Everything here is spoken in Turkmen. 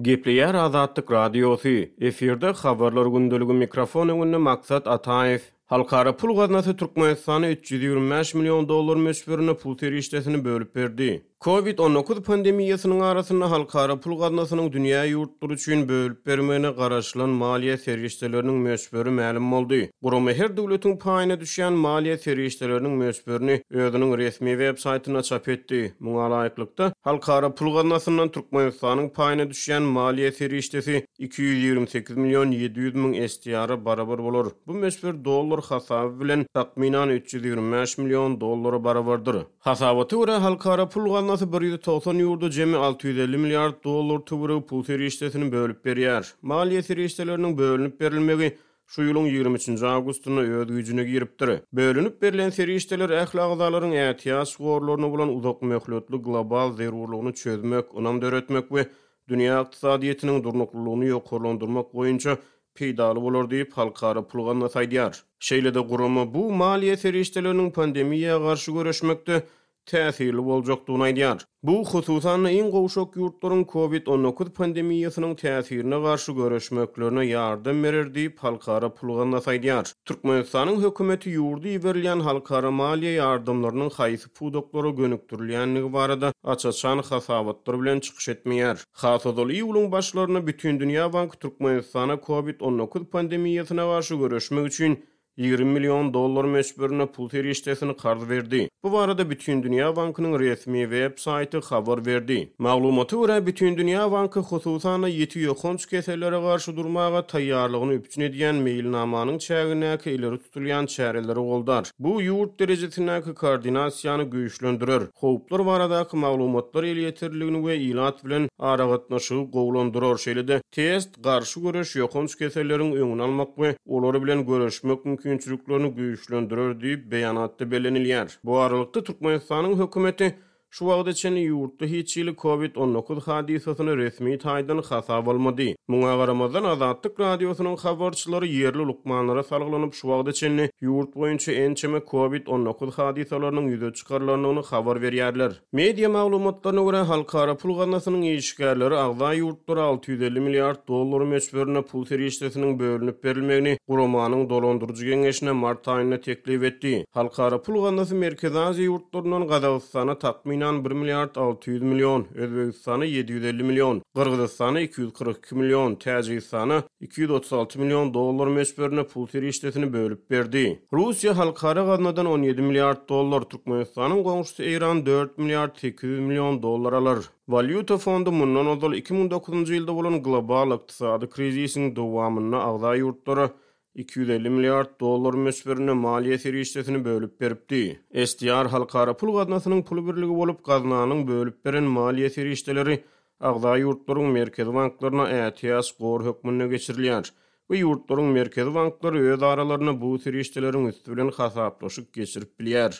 Gepleýär Azatlyk Radiosy, efirde Habarlar gündeligi mikrofon öňünde Maksat Ataýew. Halkara pul gaznasy Türkmenistana 325 million dollar möçberinde pul serişdesini bölüp berdi. Covid 19 pandemiýasynyň arasynda Halkara pul gaznasynyň dünýä ýurtlary üçin bölüp bermegine garaşylan maliýe serişdeleriniň möçberi mälim boldy. Gurama her döwletiň paýyna düşýän maliýe serişdeleriniň möçberini özüniň resmi web saýtynda çap etdi. Muňa laýyklykda, Halkara pul gaznasyndan Türkmenistanyň paýyna düşýän maliýe serişdesi 228 million 700 müň SDR-a barabar bolar. Bu möçber dollar hasaby bilen takmynan 325 million dollara barabardyr. Hasabata görä, Halkara pul gaznasy 190 ýurda jemi 650 milliard dollar töweregi pul serişdesini bölüp berýär. Maliýe serişdeleriniň bölünip berilmegi şu ýylyň 23-nji awgustynda öz güýjüne giripdir. Bölünip berlen serişdeler ähli agzalaryň ätiýaç gorlaryna bolan uzak möhletli global zerurlygyny çözmek, ynam döretmek we dünýä ykdysadyýetiniň durnuklylygyny ýokarlandyrmak boýunça peýdaly bolar diýip, Halkara pul gaznasy aýdýar. Şeýle-de gurama bu maliýe serişdeleriniň pandemiýa garşy göreşmekde täsirli boljakdygyny aýdýar. Bu, hususan-da, iň gowşak ýurtlaryň Covid 19 pandemiýasynyň täsirine garşy göreşmeklerine ýardam berer diýip, Halkara pul gaznasy aýdýar. Türkmenistanyň hökümeti ýurda iberilýän halkara maliýe ýardamlarynyň haýsy pudaklara gönükdirilýändigi barada aç-açan hasabatlar bilen çykyş etmeýär. Has ozal iýulyň başlarynda Bütindünýä banky Türkmenistana Covid 19 pandemiýasyna garşy göreşmek üçin 20 million dollar möçberinde pul serişdesini karz berdi. Bu barada Bütindünýä bankynyň resmi web saýty habar berdi. Maglumata görä, Bütindünýä banky hususan-da ýiti ýokanç kesellere garşy durmaga taýýarlygyny üpjün edýän meýilnamanyň çägindäki ileri tutulýan çäreleri goldar. Bu ýurt derejesindäki koordinasiýany güýçlendirer, howplar baradaky maglumatlar elýeterliligini we ilat bilen aragatnaşygy gowulandyrar, şeýle-de test, garşy göreş, ýokanç keselleriň öňüni almak we olar bilen göreşmek mümkinçiliklerini güýçlendirer diýip, beýanatda bellenilýär. Bu aralykda, Türkmenistanyň hökümeti şu wagta çenli ýurtda hiç hili Covid 19 hadysasyny resmi taýdan hasaba almady. Muňa garamazdan, Azatlyk Radiosynyň habarçylary ýerli lukmanlara salgylanyp, şu wagta çenli ýurt boýunça ençeme Covid 19 hadysalarynyň ýüze çykarylandygyny habar berýärler. Media maglumatlaryna görä, Halkara pul gaznasynyň işgärleri agza ýurtlara 650 milliard dollar möçberinde pul serişdesiniň bölünip berilmegini guramanyň dolandyryjy geňeşine mart aýynda teklip etdi. Halkara pul gaznasy Merkezi Aziýa ýurtlaryndan Gazagystana takmynan bir milliard 600 million, Özbegistana 750 million, Gyrgyzystana 242 million, Täjigistana 236 million dollar möçberinde pul serişdesini bölüp berdi. Russiýa halkara gaznadan 17 milliard dollar, Türkmenistanyň goňşusy Eýran dört milliard 800 million dollar alar. Walýuta fondy mundan ozal 2009-njy ýylda bolan global ykdysady krizisiň dowamynda agza ýurtlara 250 milliard dollar möçberinde maliýe serişdesini bölüp beripdi. SDR Halkara pul gaznasynyň pul birligi bolup, gaznanyň bölüp beren maliýe serişdeleri agza ýurtlaryň merkezi banklaryna ätiýaç gor hökmünde geçirilýär we ýurtlaryň merkezi banklary öz aralarynda bu serişdeleriň üsti bilen hasaplaşyk geçirip bilýär.